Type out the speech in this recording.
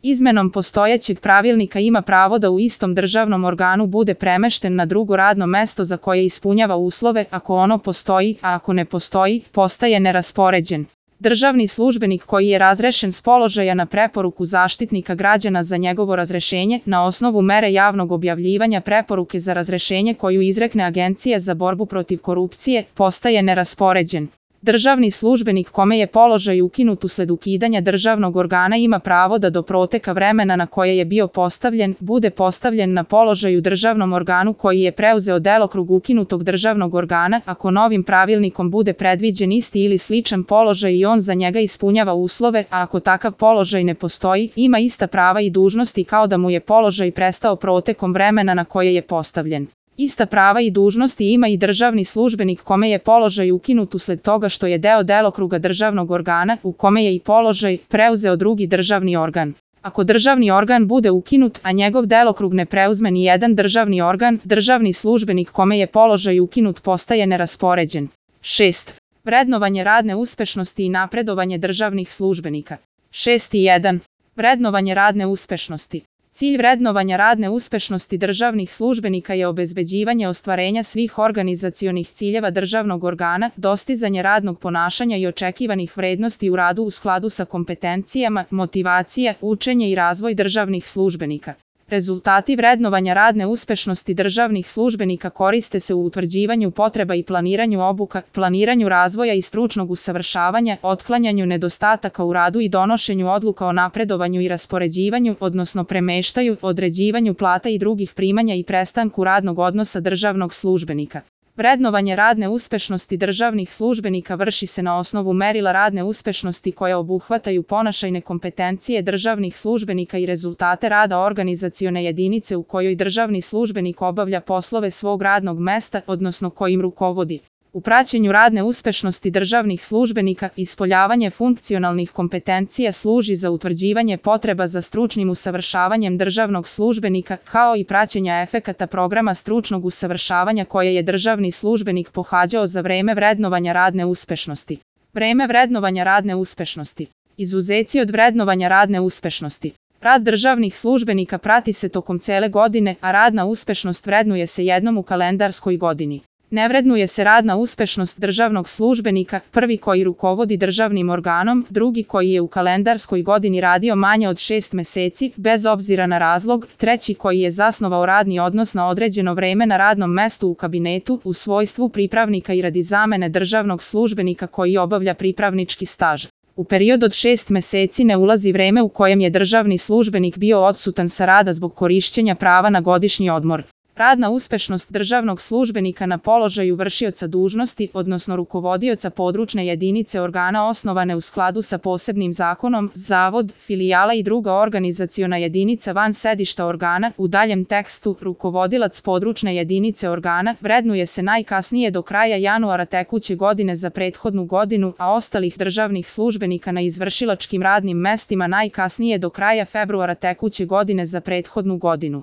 Izmenom postojećeg pravilnika ima pravo da u istom državnom organu bude premešten na drugo radno mesto za koje ispunjava uslove ako ono postoji, a ako ne postoji, postaje neraspoređen. Državni službenik koji je razrešen s položaja na preporuku Zaštitnika građana za njegovo razrešenje na osnovu mere javnog objavljivanja preporuke za razrešenje koju izrekne Agencija za borbu protiv korupcije, postaje neraspoređen. Državni službenik kome je položaj ukinut usled ukidanja državnog organa ima pravo da do proteka vremena na koje je bio postavljen, bude postavljen na položaj u državnom organu koji je preuzeo delokrug ukinutog državnog organa, ako novim pravilnikom bude predviđen isti ili sličan položaj i on za njega ispunjava uslove, a ako takav položaj ne postoji, ima ista prava i dužnosti kao da mu je položaj prestao protekom vremena na koje je postavljen. Ista prava i dužnosti ima i državni službenik kome je položaj ukinut usled toga što je deo delokruga državnog organa, u kome je i položaj, preuzeo drugi državni organ. Ako državni organ bude ukinut, a njegov delokrug ne preuzme ni jedan državni organ, državni službenik kome je položaj ukinut postaje neraspoređen. 6. Vrednovanje radne uspešnosti i napredovanje državnih službenika. 6.1. Vrednovanje radne uspešnosti. Cilj vrednovanja radne uspešnosti državnih službenika je obezbeđivanje ostvarenja svih organizacionih ciljeva državnog organa, dostizanje radnog ponašanja i očekivanih vrednosti u radu u skladu sa kompetencijama, motivacija, učenje i razvoj državnih službenika. Rezultati vrednovanja radne uspešnosti državnih službenika koriste se u utvrđivanju potreba i planiranju obuka, planiranju razvoja i stručnog usavršavanja, otklanjanju nedostataka u radu i donošenju odluka o napredovanju i raspoređivanju, odnosno premeštaju, određivanju plata i drugih primanja i prestanku radnog odnosa državnog službenika. Vrednovanje radne uspešnosti državnih službenika vrši se na osnovu merila radne uspešnosti koje obuhvataju ponašajne kompetencije državnih službenika i rezultate rada organizacione jedinice u kojoj državni službenik obavlja poslove svog radnog mesta, odnosno kojim rukovodi. U praćenju radne uspešnosti državnih službenika, ispoljavanje funkcionalnih kompetencija služi za utvrđivanje potreba za stručnim usavršavanjem državnog službenika, kao i praćenja efekata programa stručnog usavršavanja koje je državni službenik pohađao za vreme vrednovanja radne uspešnosti. Vreme vrednovanja radne uspešnosti. Izuzeci od vrednovanja radne uspešnosti. Rad državnih službenika prati se tokom cele godine, a radna uspešnost vrednuje se jednom u kalendarskoj godini. Ne vrednuje se radna uspešnost državnog službenika, prvi koji rukovodi državnim organom, drugi koji je u kalendarskoj godini radio manje od 6 meseci, bez obzira na razlog, treći koji je zasnovao radni odnos na određeno vreme na radnom mestu u kabinetu, u svojstvu pripravnika i radi zamene državnog službenika koji obavlja pripravnički staž. U period od 6 meseci ne ulazi vreme u kojem je državni službenik bio odsutan sa rada zbog korišćenja prava na godišnji odmor. Radna uspešnost državnog službenika na položaju vršioca dužnosti, odnosno rukovodioca područne jedinice organa osnovane u skladu sa posebnim zakonom, zavod, filijala i druga organizaciona jedinica van sedišta organa, u daljem tekstu, rukovodilac područne jedinice organa, vrednuje se najkasnije do kraja januara tekuće godine za prethodnu godinu, a ostalih državnih službenika na izvršilačkim radnim mestima najkasnije do kraja februara tekuće godine za prethodnu godinu.